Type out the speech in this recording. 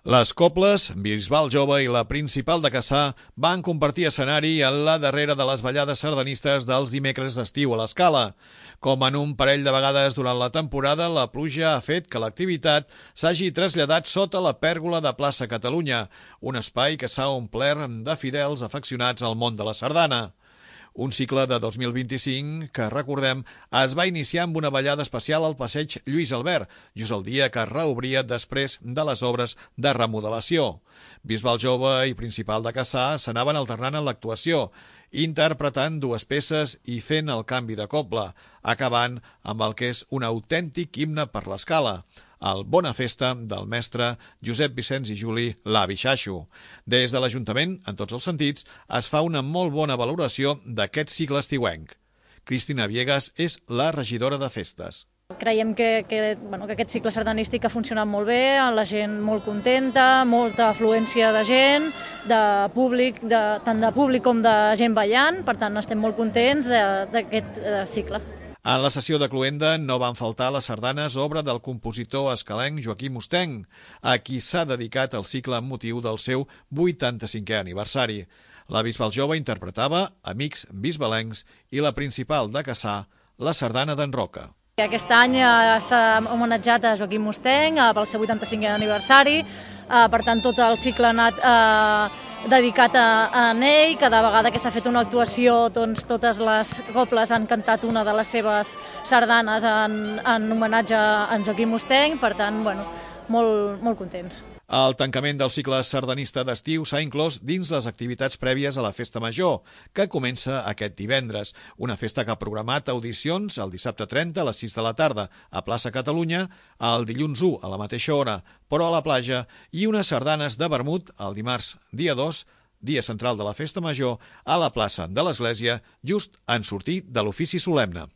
Les cobles, Bisbal Jove i la Principal de Cassà van compartir escenari en la darrera de les ballades sardanistes dels dimecres d'estiu a l'Escala. Com en un parell de vegades durant la temporada, la pluja ha fet que l'activitat s'hagi traslladat sota la pèrgola de Plaça Catalunya, un espai que s'ha omplert de fidels afeccionats al món de la sardana. Un cicle de 2025 que, recordem, es va iniciar amb una ballada especial al passeig Lluís Albert, just el dia que es reobria després de les obres de remodelació. Bisbal Jove i Principal de Cassà s'anaven alternant en l'actuació, interpretant dues peces i fent el canvi de cobla, acabant amb el que és un autèntic himne per l'Escala, el Bona Festa del mestre Josep Vicenç i Juli l'Avi Xaixo. Des de l'Ajuntament, en tots els sentits, es fa una molt bona valoració d'aquest cicle estiuenc. Cristina Viegas és la regidora de festes. Creiem que aquest cicle sardanístic ha funcionat molt bé, la gent molt contenta, molta afluència de gent, de públic, tant de públic com de gent ballant, per tant estem molt contents d'aquest cicle. En la sessió de cloenda no van faltar les sardanes, obra del compositor escalenc Joaquim Osteng, a qui s'ha dedicat el cicle amb motiu del seu 85è aniversari. La Bisbal Jove interpretava Amics bisbalencs i la Principal de Cassà, la sardana d'en Roca. Aquest any s'ha homenatjat a Joaquim Osteng pel seu 85è aniversari, per tant tot el cicle ha anat dedicat a ell. Cada vegada que s'ha fet una actuació, doncs, totes les cobles han cantat una de les seves sardanes en homenatge a en Joaquim Osteng, per tant, molt contents. El tancament del cicle sardanista d'estiu s'ha inclòs dins les activitats prèvies a la Festa Major, que comença aquest divendres. Una festa que ha programat audicions el dissabte 30 a les 6 de la tarda a Plaça Catalunya, el dilluns 1 a la mateixa hora, però a la platja, i unes sardanes de vermut el dimarts dia 2, dia central de la Festa Major, a la plaça de l'Església, just en sortir de l'ofici solemne.